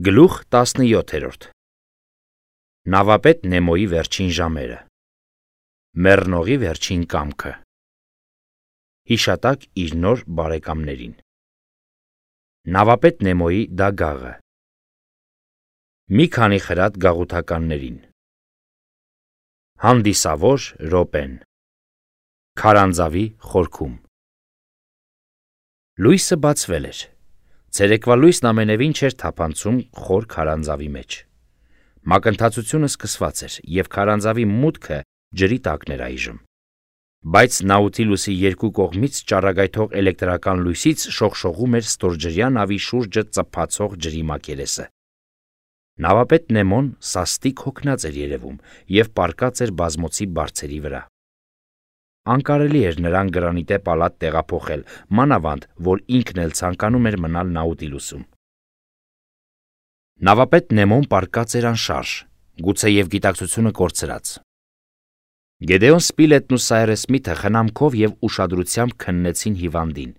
Գլուխ 17 Նավապետ Նեմոյի վերջին ժամերը Մեռնողի վերջին կամքը Հիշատակ իր նոր բարեկամներին Նավապետ Նեմոյի դագաղը Մի քանի խրատ գաղութականներին Հանդիսավոր Ռոպեն Քարանձավի խորքում Լույսը բացվել էր Ցերեկվա լույսն ամենևին չէր թափանցում խոր քարանձավի մեջ Մակընթացությունը սկսված էր և քարանձավի մուտքը ջրի տակն էր այժմ Բայց Նաուտիլուսի երկու կողմից ճառագայթող էլեկտրական լույսից շողշողում էր ստորջրյա նավի շուրջը ծփացող ջրի մակերեսը Նավապետ Նեմոն սաստիկ հոգնած էր երևում և պառկած էր բազմոցի բարձերի վրա Անկարելի էր նրան գրանիտե պալատ տեղափոխել, մանավանդ, որ ինքն էլ ցանկանում էր մնալ Նաուտիլուսում Նավապետ Նեմոն պառկած էր անշարժ, գուցեև գիտակցությունը կորցրած Գեդեոն Սպիլետն ու Սայրես Սմիթը խնամքով և ուշադրությամբ քննեցին հիվանդին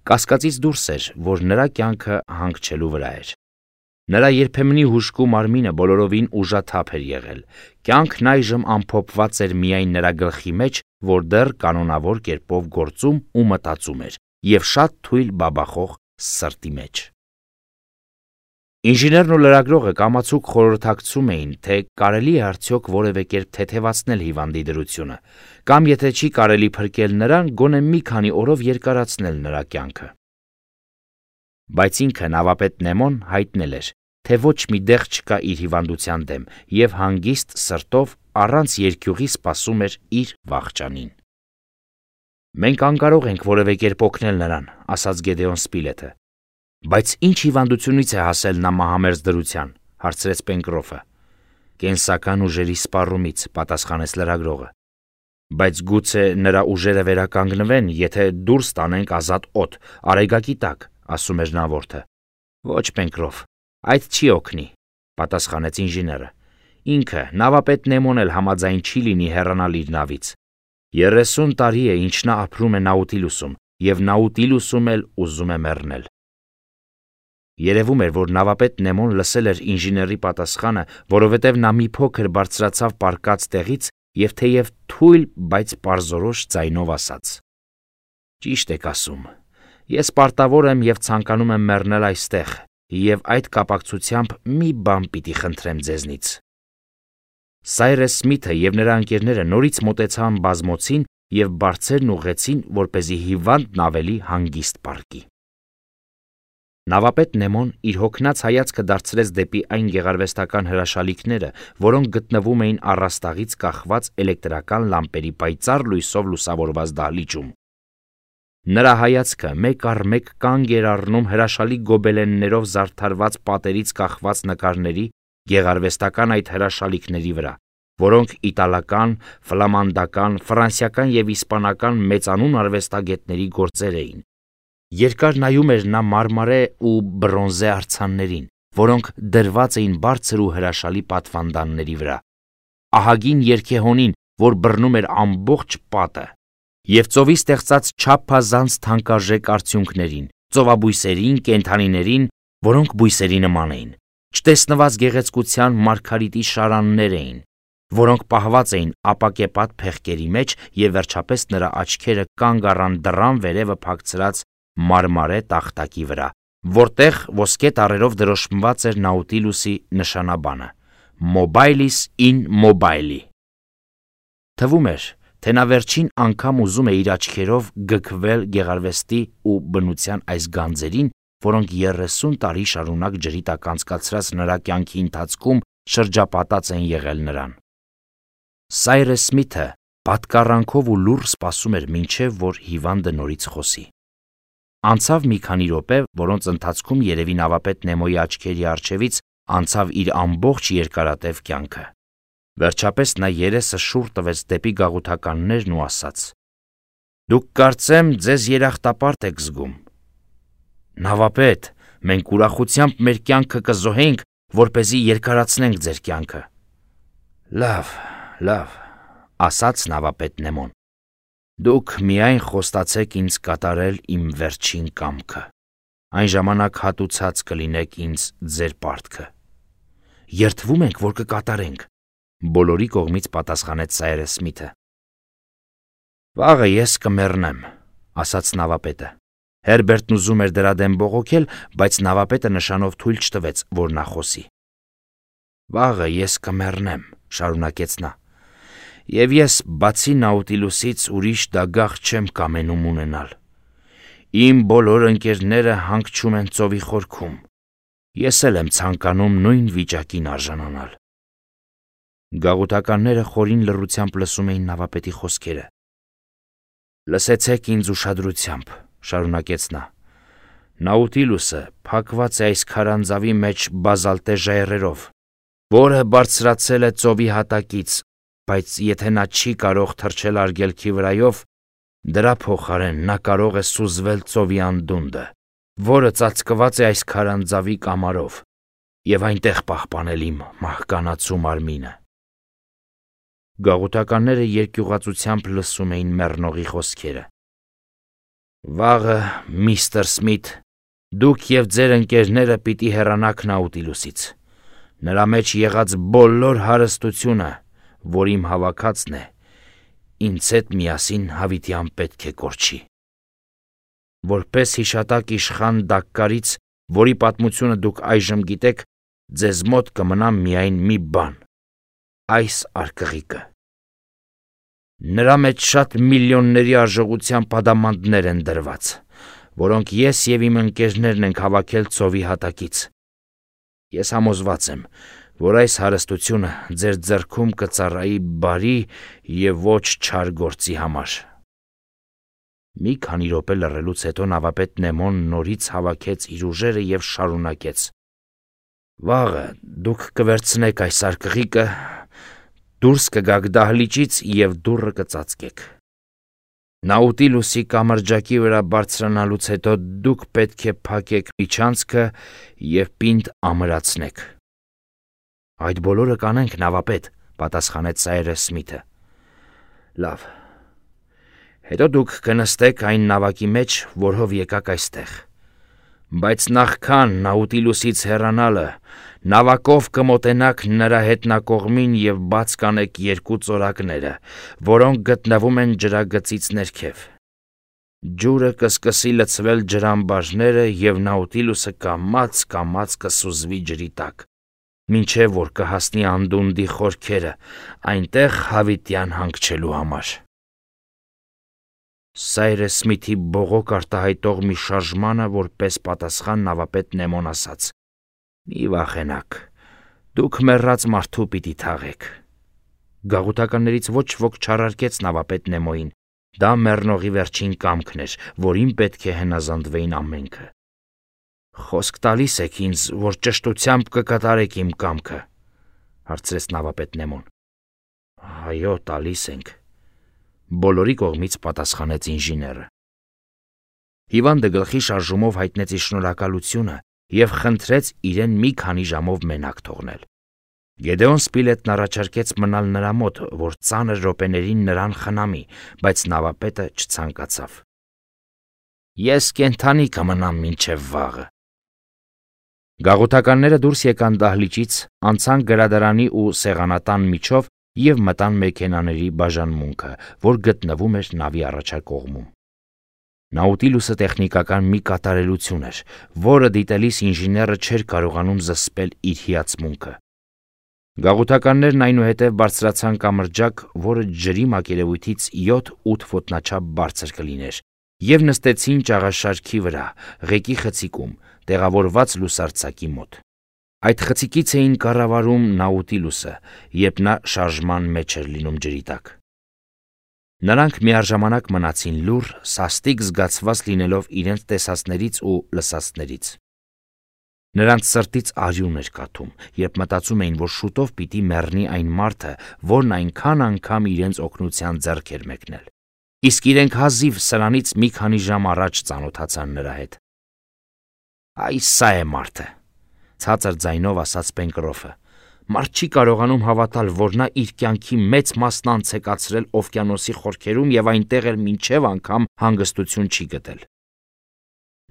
Կասկածից դուրս էր, որ նրա կյանքը հանգչելու վրա էր Նրա երբեմնի հուժկու մարմինը բոլորովին ուժաթափ էր եղել Կյանքն այժմ ամփոփված էր միայն նրա գլխի մեջ, որ դեռ կանոնավոր կերպով գործում ու մտածում էր և շատ թույլ բաբախող սրտի մեջ Ինժեներն ու լրագրողը կամացուկ խորհրդակցում էին, թե կարելի է արդյոք որևէ կերպ թեթևացնել հիվանդի դրությունը կամ եթե չի կարելի փրկել նրան, գոնե մի քանի օրով երկարացնել նրա կյանքը Բայց ինքը նավապետ Նեմոն հայտնել էր, թե ոչ մի դեղ չկա իր հիվանդության դեմ և հանգիստ սրտով առանց երկյուղի սպասում էր իր վախճանին Մենք անկարող ենք որևէ կերպ օգնել նրան, ասաց Գեդեոն Սպիլետը Բայց ինչ հիվանդությունից է հասել նա մահամերձ դրության, հարցրեց Պենկրոֆը Կենսական ուժերի սպառումից, պատասխանեց լրագրողը Բայց գուցե նրա ուժերը վերականգնվեն, եթե դուրս տանենք ազատ օդ, արեգակի տակ, ասում էր նավորդը Ոչ Պենկրոֆ, այդ չի օգնի, պատասխանեց ինժեները Ինքը, նավապետ Նեմոն էլ համաձայն չի լինի հեռանալ իր նավից 30 տարի է, ինչ նա ապրում է Նաուտիլուսում և Նաուտիլուսում էլ ուզում է մեռնել Երևում էր, որ նավապետ Նեմոն լսել էր ինժեների պատասխանը, որովհետև նա մի փոքր բարձրացավ պառկած տեղից և թեև թույլ, բայց պարզորոշ ձայնով ասաց Ճիշտ եք ասում, ես պարտավոր եմ և ցանկանում եմ մեռնել այստեղ և այդ կապակցությամբ մի բան պիտի խնդրեմ ձեզնից Սայրես Սմիթը և նրա ընկերները նորից մոտեցան բազմոցին և բարձրերն ուղղեցին, որպեսզի հիվանդն ավելի հանգիստ պառկի Նավապետ Նեմոն իր հոգնած հայացքը դարձրեց դեպի այն գեղարվեստական հրաշալիքները, որոնք գտնվում էին առաստաղից կախված էլեկտրական լամպերի պայծառ լույսով լուսավորված դահլիճում Նրա հայացքը մեկ առ մեկ կանգ էր առնում հրաշալի գոբելեններով զարդարված պատերից կախված նկարների գեղարվեստական այդ հրաշալիքների վրա, որոնք իտալական, ֆլամանդական, ֆրանսիական և իսպանական մեծանուն արվեստագետների գործեր էին Երկար նայում էր նա մարմարե ու բրոնզե արձաններին, որոնք դրված էին բարձր ու հրաշալի պատվանդանների վրա, ահագին երգեհոնին, որ բռնում էր ամբողջ պատը, և ծովի ստեղծած չափազանց թանկարժեք արդյունքներին, ծովաբույսերին, կենդանիներին, որոնք բույսերի նման էին, չտեսնված գեղեցկության մարգարիտի շարաններ էին, որոնք պահված էին ապակեպատ փեղկերի մեջ և վերջապես նրա աչքերը կանգ առան դռան վերևը փակցրած մարմարե տախտակի վրա, որտեղ ոսկե տառերով դրոշմված էր Նաուտիլուսի նշանաբանը Mobilis in mobili Թվում էր, թե նա վերջին անգամ ուզում է իր աչքերով գքվել գեղարվեստի ու բնության այս գանձերին, որոնք 30 տարի շարունակ ջրի տակ անցկացրած նրա կյանքի ընթացքում շրջապատած են եղել նրան Սայրես Սմիթը պատկառանքով ու լուռ սպասում էր մինչև որ հիվանդը նորից խոսի Անցավ մի քանի րոպե, որոնց ընթացքում երևի նավապետ Նեմոյի աչքերի առջևից անցավ իր ամբողջ երկարատև կյանքը Վերջապես նա երեսը շուռ տվեց դեպի գաղութականներն ու ասաց Դուք կարծեմ ձեզ երախտապարտ եք զգում Նավապետ, մենք ուրախությամբ մեր կյանքը կզոհենք, որպեսզի երկարացնենք ձեր կյանքը Լավ, ասաց նավապետ Նեմոն Դուք միայն խոստացեք ինձ կատարել իմ վերջին կամքը Այն ժամանակ հատուցած կլինեք ինձ ձեր պարտքը։ Երդվում ենք, որ կկատարենք, բոլորի կողմից պատասխանեց Սայրս Սմիթը։ Վաղը ես կմեռնեմ, ասաց նավապետը։ Հերբերտն ուզում էր դրա դեմ բողոքել, բայց նավապետը նշանով թույլ չտվեց, որ նա խոսի։ Վաղը ես կմեռնեմ, շարունակեց նա, եւ ես բացի Նաուտիլուսից ուրիշ դագաղ չեմ կամենում ունենալ։ Իմ բոլոր ընկերները հանգչում են ծովի խորքում։ Ես էլ եմ ցանկանում նույն վիճակին արժանանալ։ Գաղութականները խորին լռությամբ լսում էին նավապետի խոսքերը։ Լսեցեք ինձ ուշադրությամբ, շարունակեց նա։ Նաուտիլուսը փակված է այս քարանձավի մեջ բազալտե ժայռերով, որը բարձրացել է ծովի հատակից, բայց եթե նա չի կարող թռչել արգելքի վրայով, դրա փոխարեն նա կարող է սուզվել ծովի անդունդը, որը ծածկված է այս քարանձավի կամարով, եւ այնտեղ պահպանել իմ մահկանացու մարմինը։ Գաղութականները երկյուղացությամբ լսում էին մեռնողի խոսքերը։ Վաղը, միստր Սմիթ, դուք եւ ձեր ընկերները պիտի հեռանաք Նաուտիլուսից։ Նրա մեջ եղած բոլոր հարստությունը, որ իմ հավաքածն է, ինձ հետ միասին հավիտյան պետք է կորչի։ Որպես հիշատակ իշխան Դակկարից, որի պատմությունը դուք այժմ գիտեք, ձեզ մոտ կմնա միայն մի բան՝ այս արկղիկը։ Նրա մեջ շատ միլիոնների արժողությամբ ադամանդներ են դրված, որոնք ես եւ իմ ընկերներն ենք հավաքել ծովի հատակից։ Ես համոզված եմ, որ այս հարստությունը ձեր ձեռքում կծառայի բարի եւ ոչ չար գործի համար։ Մի քանի րոպե լռելուց հետո նավապետ Նեմոն նորից հավաքեց իր ուժերը եւ շարունակեց. Վաղը դուք կվերցնեք այս արկղիկը, դուրս կգաք դահլիճից եւ դուռը կծածկեք։ Նաուտիլուսի կամրջակի վրա բարձրանալուց հետո դուք պետք է փակեք միջանցքը եւ պինդ ամրացնեք։ Այդ բոլորը կանենք, նավապետ, պատասխանեց Սայրս Սմիթը։ Լավ։ Հետո դուք կնստեք այն նավակի մեջ, որով եկաք այստեղ։ Բայց նախքան Նաուտիլուսից հեռանալը, նավակով կմոտենաք նրա հետնակողմին եւ բաց կանեք երկու ծորակները, որոնք գտնվում են ջրագծից ներքև։ Ջուրը կսկսի լցվել ջրամբարները եւ Նաուտիլուսը կամաց կսուզվի ջրի տակ, մինչեւ որ կհասնի անդունդի խորքերը, այնտեղ հավիտյան հանգչելու համար։ Սայրս Սմիթի բողոք արտահայտող մի շարժմանը որպես պատասխան նավապետ Նեմոն ասաց. Մի վախենաք, դուք մեռած մարդու պիտի թաղեք։ Գաղութականներից ոչ ոք չարարկեց նավապետ Նեմոյին, դա մեռնողի վերջին կամքն էր, որին պետք է հնազանդվեին ամենքը։ Խոսք տալիս եք ինձ, որ ճշտությամբ կկատարեք իմ կամքը, հարցրեց նավապետ Նեմոն։ Այո, տալիս ենք, բոլորի կողմից պատասխանեց ինժեները։ Հիվանդը գլխի շարժումով հայտնեց իր շնորհակալությունը եւ խնդրեց իրեն մի քանի ժամով մենակ թողնել։ Գեդեոն Սպիլետն առաջարկեց մնալ նրա մոտ, որ ծանր րոպեներին նրան խնամի, բայց նավապետը չցանկացավ։ Ես կենթանի կմնամ մինչև վաղը։ Գաղութականները դուրս եկան դահլիճից, անցան գրադարանի ու սեղանատան միջով եւ մտան մեքենաների բաժանմունքը, որ գտնվում էր նավի առաջակողմում։ Նաուտիլուսը տեխնիկական մի կատարելություն էր, որը դիտելիս ինժեները չէր կարողանում զսպել իր հիացմունքը։ Գաղութականներն այնուհետև բարձրացան կամրջակ, որը ջրի մակերևույթից 7-8 ոտնաչափ բարձր կլիներ, եւ նստեցին ճաղաշարքի վրա, ղեկի խցիկում, տեղավորված լուսարձակի մոտ։ Այդ խցիկից էին կառավարում Նաուտիլուսը, երբ նա շարժման մեջ էր լինում ջրի տակ։ Նրանք միաժամանակ մնացին լուռ, սաստիկ զգացված լինելով իրենց տեսածներից ու լսածներից։ Նրանց սրտից արյուն էր կաթում, երբ մտածում էին, որ շուտով պիտի մեռնի այն մարդը, որն այնքան անգամ իրենց օգնության ձեռք էր մեկնել։ Իսկ իրենք հազիվ սրանից մի քանի ժամ առաջ ծանոթացան նրա հետ։ Այ սա է մարդը, ցածր ձայնով ասաց Պենկրոֆը։ Մարդ չի կարողանում հավատալ, որ նա իր կյանքի մեծ մասն անց է կացրել օվկիանոսի խորքերում եւ այնտեղ էլ մինչեւ անգամ հանգստություն չի գտել։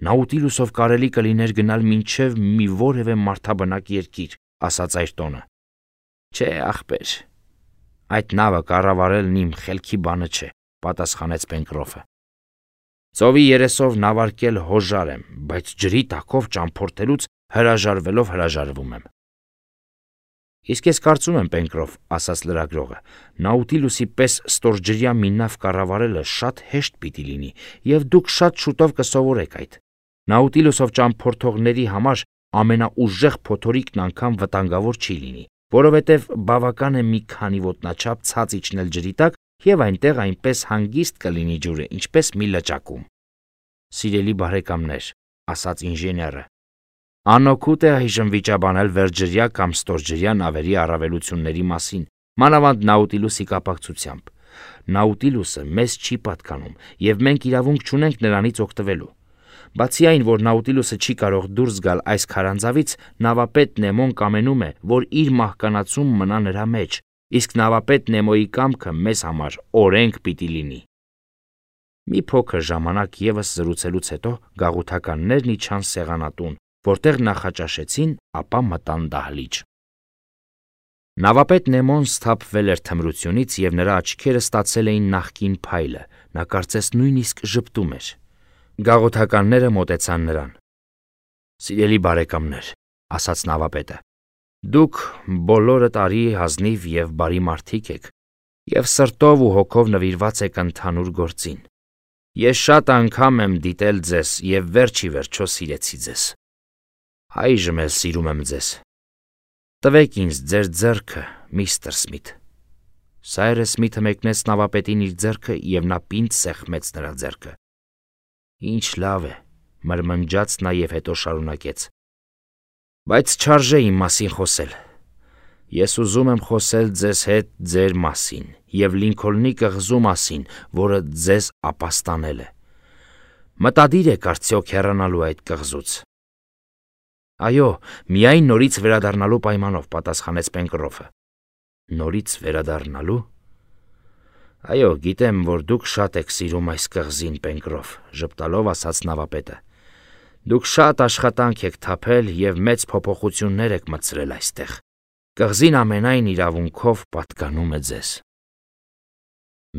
Նաուտիլուսով կարելի կլիներ գնալ մինչև մի որևէ մարդաբնակ երկիր, ասաց Այրտոնը։ Չէ, ախպեր, այդ նավը կառավարելն իմ խելքի բանը չէ, պատասխանեց Պենկրոֆը։ Ծովի երեսով նավարկել հոժար եմ, բայց ջրի տակով ճամփորդելուց հրաժարվում եմ։ Իսկ ես կարծում եմ, Պենկրոֆ, ասաց լրագրողը, Նաուտիլուսի պես ստորջրյա մի նավ կառավարելը շատ հեշտ պիտի լինի, եւ դուք շատ շուտով կսովորեք այդ։ Նաուտիլուսով ճամփորդողների համար ամենաուժեղ փոթորիկն անգամ վտանգավոր չի լինի, որովհետև բավական է մի քանի ոտնաչափ ցած իջնել ջրի տակ եւ այնտեղ այնպես հանգիստ կլինի ջուրը, ինչպես մի լճակում։ Սիրելի բարեկամներ, ասաց ինժեները, անօգուտ է այժմ վիճաբանել վերջջրյա կամ ստորջրյա նավերի առավելությունների մասին, մանավանդ Նաուտիլուսի կապակցությամբ։ Նաուտիլուսը մեզ չի պատկանում եւ մենք իրավունք չունենք նրանից օգտվելու։ Բացի այն, որ Նաուտիլուսը չի կարող դուրս գալ այս քարանձավից, նավապետ Նեմոն կամենում է, որ իր մահկանացում մնա նրա մեջ, իսկ նավապետ Նեմոյի կամքը մեզ համար օրենք պիտի լինի։ Մի փոքր ժամանակ եւս զրուցելուց հետո գաղութականներն իջան սեղանատուն, որտեղ նախաճաշեցին, ապա մտան դահլիճ։ Նավապետ Նեմոն սթափվել էր թմրությունից եւ նրա աչքերը ստացել էին նախկին փայլը, նա կարծես նույնիսկ ժպտում էր։ Գաղութականները մոտեցան նրան։ Սիրելի բարեկամներ, ասաց նավապետը, դուք բոլորդ արի հազնիվ եւ բարի մարդիկ եք եւ սրտով ու հոգով նվիրված եք ընդհանուր գործին։ Ես շատ անգամ եմ դիտել ձեզ եւ վերջի վերջո սիրեցի ձեզ։ Այժմ էլ սիրում եմ ձեզ։ Տվեք ինձ ձեր ձեռքը, միստր Սմիթ։ Սայրես Սմիթը մեկնեց նավապետին իր ձեռքը եւ նա պինդ սեղմեց նրա ձեռքը։ Ինչ լավ է, մրմնջաց նա եւ հետո շարունակեց. Բայց չարժե իմ մասին խոսել։ Ես ուզում եմ խոսել ձեզ հետ ձեր մասին եւ Լինքոլնի կղզու մասին, որը ձեզ ապաստանել է։ Մտադիր եք արդյոք հեռանալու այդ կղզուց։ Այո, միայն նորից վերադառնալու պայմանով, պատասխանեց Պենկրոֆը։ Նորից վերադառնալու։ Այո, գիտեմ, որ դուք շատ եք սիրում այս կղզին, Պենկրոֆ, ժպտալով ասաց նավապետը։ Դուք շատ աշխատանք եք թափել եւ մեծ փոփոխություններ եք մտցրել այստեղ։ Կղզին ամենայն իրավունքով պատկանում է ձեզ։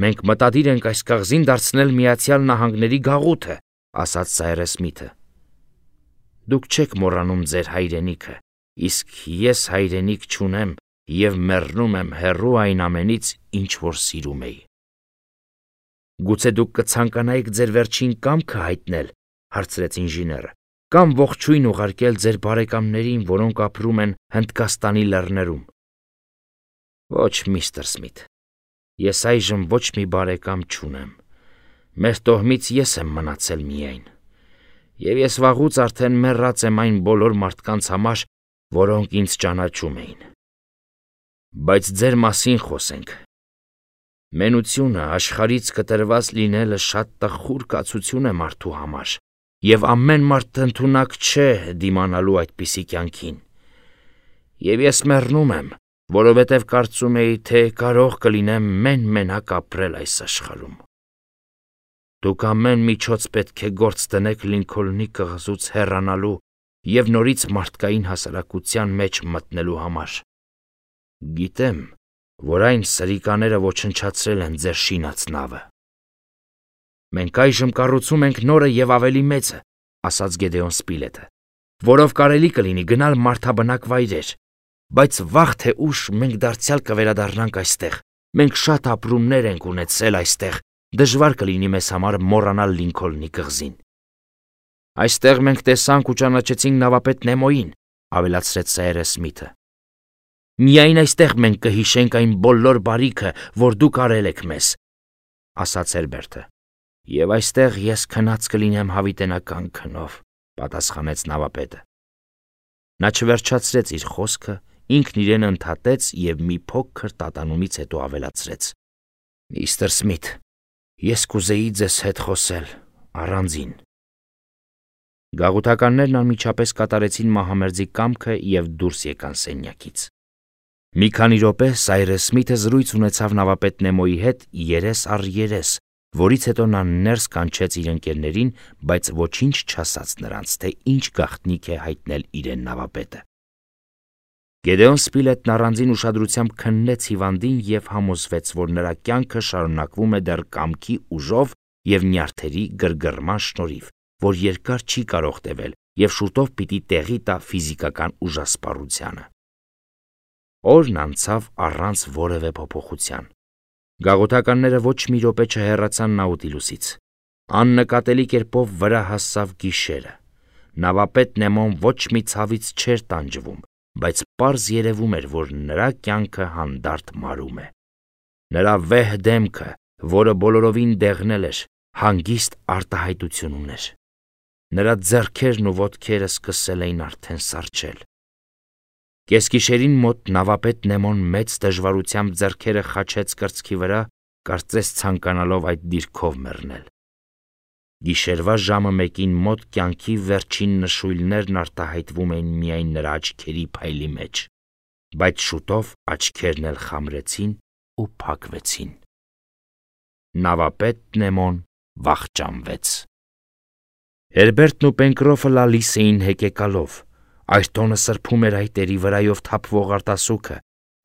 Մենք մտադիր ենք այս կղզին դարձնել Միացյալ Նահանգների գաղութը, ասաց Սայրես Սմիթը։ Դուք չեք մոռանում ձեր հայրենիքը, իսկ ես հայրենիք չունեմ եւ մեռնում եմ հեռու այն ամենից, ինչ որ սիրում էի։ Գուցե դուք կցանկանայիք ձեր վերջին կամքը հայտնել, հարցրեց ինժեները, կամ ողջույն ուղարկել ձեր բարեկամներին, որոնք ապրում են Հնդկաստանի լեռներում։ Ոչ, միստր Սմիթ, ես այժմ ոչ մի բարեկամ չունեմ։ Մեր տոհմից ես եմ մնացել միայն։ Եվ ես վաղուց արդեն մեռած եմ այն բոլոր մարդկանց համար, որոնք ինձ ճանաչում էին։ Բայց ձեր մասին խոսենք։ Մենությունը աշխարհից կտրված լինելը շատ տխուր կացություն է մարդու համար, եւ ամեն մարդ ընդունակ չէ դիմանալու այդպիսի կյանքին։ Եվ ես մեռնում եմ, որովհետև կարծում էի, թե կարող կլինեմ մենակ ապրել այս աշխարհում։ Դուք ամեն միջոց պետք է գործ դնեք Լինքոլնի կղզուց հեռանալու եւ նորից մարդկային հասարակության մեջ մտնելու համար։ Գիտեմ, որ այն սրիկաները ոչնչացրել են ձեր շինած նավը։ Մենք այժմ կառուցում ենք նորը եւ ավելի մեծը, ասաց Գեդեոն Սպիլետը, որով կարելի կլինի գնալ մարդաբնակ վայրեր, բայց վաղ թե ուշ մենք դարձյալ կվերադառնանք այստեղ։ Մենք շատ ապրումներ ենք ունեցել այստեղ, դժվար կլինի մեզ համար մոռանալ Լինքոլնի կղզին։ Այստեղ մենք տեսանք ու ճանաչեցինք նավապետ Նեմոյին, ավելացրեց Սայրես Սմիթը։ Միայն այստեղ մենք կհիշենք այն բոլոր բարիքը, որ դուք արել եք մեզ, ասաց Հերբերտը։ Եվ այստեղ ես քնած կլինեմ հավիտենական քնով, պատասխանեց նավապետը։ Նա չվերջացրեց իր խոսքը, ինքն իրեն ընդհատեց եւ մի փոքր տատանումից հետո ավելացրեց. Միստր Սմիթ, ես կուզեի ձեզ հետ խոսել առանձին։ Գաղութականներն անմիջապես կատարեցին մահամերձի կամքը եւ դուրս եկան սենյակից։ Մի քանի րոպե Սայրես Սմիթը զրույց ունեցավ նավապետ Նեմոյի հետ երես առ երես, որից հետո նա ներս կանչեց իր ընկերներին, բայց ոչինչ չասաց նրանց, թե ինչ գաղտնիք է հայտնել իրեն նավապետը։ Գեդեոն Սպիլետն առանձին ուշադրությամբ քննեց հիվանդին և համոզվեց, որ նրա կյանքը շարունակվում է դեռ կամքի ուժով և նյարդերի գրգռման շնորհիվ, որ երկար չի կարող տևել և շուտով պիտի տեղի տա ֆիզիկական ուժասպառությանը։ Օրն անցավ առանց որևէ փոփոխության։ Գաղութականները ոչ մի րոպե չհեռացան Նաուտիլուսից։ Աննկատելի կերպով վրա հասավ գիշերը։ Նավապետ Նեմոն ոչ մի ցավից չէր տանջվում, բայց պարզ երևում էր, որ նրա կյանքը հանդարտ մարում է։ Նրա վեհ դեմքը, որը բոլորովին դեղնել էր, հանգիստ արտահայտություն ուներ։ Նրա ձեռքերն ու ոտքերը սկսել էին արդեն սառչել։ Կեսգիշերին մոտ նավապետ Նեմոն մեծ դժվարությամբ ձեռքերը խաչեց կրծքի վրա, կարծես ցանկանալով այդ դիրքով մեռնել։ Գիշերվա ժամը 1-ին մոտ կյանքի վերջին նշույլներն արտահայտվում էին միայն նրա աչքերի փայլի մեջ, բայց շուտով աչքերն էլ խամրեցին ու փակվեցին։ Նավապետ Նեմոն վախճանվեց։ Հերբերտն ու Պենկրոֆը լալիս էին հեկեկալով։ Այրտոնը սրբում էր այտերի վրայով թափվող արտասուքը։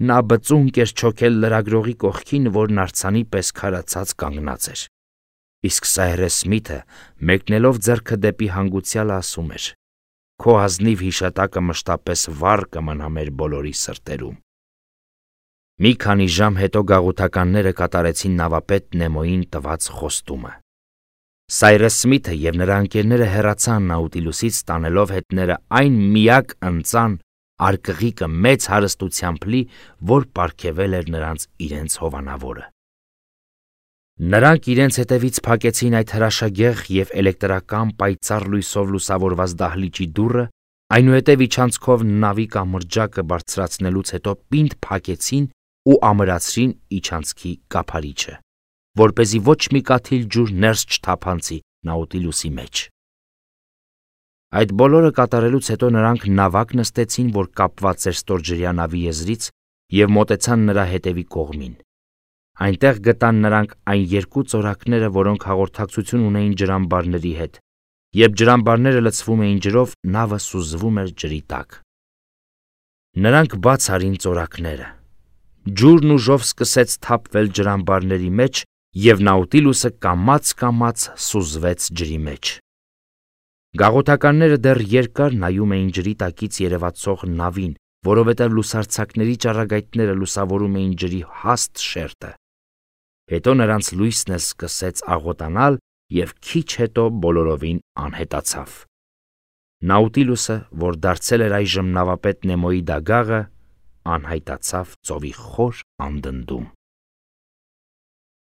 Նա բծունկ էր չոքել լրագրողի կողքին, որն արձանի պես քարացած կանգնած էր։ Իսկ Սայրես Սմիթը, մեկնելով ձեռքը դեպի հանգուցյալը, ասում էր. «Քո ազնիվ հիշատակը մշտապես վառ կմնա մեր բոլորի սրտերում»։ Մի քանի ժամ հետո գաղութականները կատարեցին նավապետ Նեմոյին տված խոստումը։ Սայրես Սմիթը և նրա ընկերները հեռացան Նաուտիլուսից, տանելով հետները այն միակ ընծան արկղիկը մեծ հարստությամբ լի, որ պարգևել էր նրանց իրենց հովանավորը։ Նրանք իրենց հետևից փակեցին այդ հրաշագեղ և էլեկտրական պայծառ լույսով լուսավորված դահլիճի դուռը, այնուհետև իջանցքով նավի կամրջակը բարձրացնելուց հետո պինդ փակեցին ու ամրացրին իջանցքի կափարիչը, որպեսզի ոչ մի կաթիլ ջուր ներս չթափանցի Նաուտիլուսի մեջ։ Այդ բոլորը կատարելուց հետո նրանք նավակ նստեցին, որ կապված էր ստորջրյա նավի եզրից, և մոտեցան նրա հետևի կողմին։ Այնտեղ գտան նրանք այն երկու ծորակները, որոնք հաղորդակցություն ունեին ջրամբարների հետ։ Երբ ջրամբարները լցվում էին ջրով, նավը սուզվում էր ջրի տակ։ Նրանք բաց արին ծորակները։ Ջուրն ուժով սկսեց թափվել ջրամբարների մեջ, և Նաուտիլուսը կամաց-կամաց սուզվեց ջրի մեջ։ Գաղութականները դեռ երկար նայում էին ջրի տակից երևացող նավին, որովհետև լուսարձակների ճառագայթները լուսավորում էին ջրի հաստ շերտը։ Հետո նրանց լույսն էլ սկսեց աղոտանալ և քիչ հետո բոլորովին անհետացավ։ Նաուտիլուսը, որ դարձել էր այժմ նավապետ Նեմոյի դագաղը, անհայտացավ ծովի խոր անդնդում։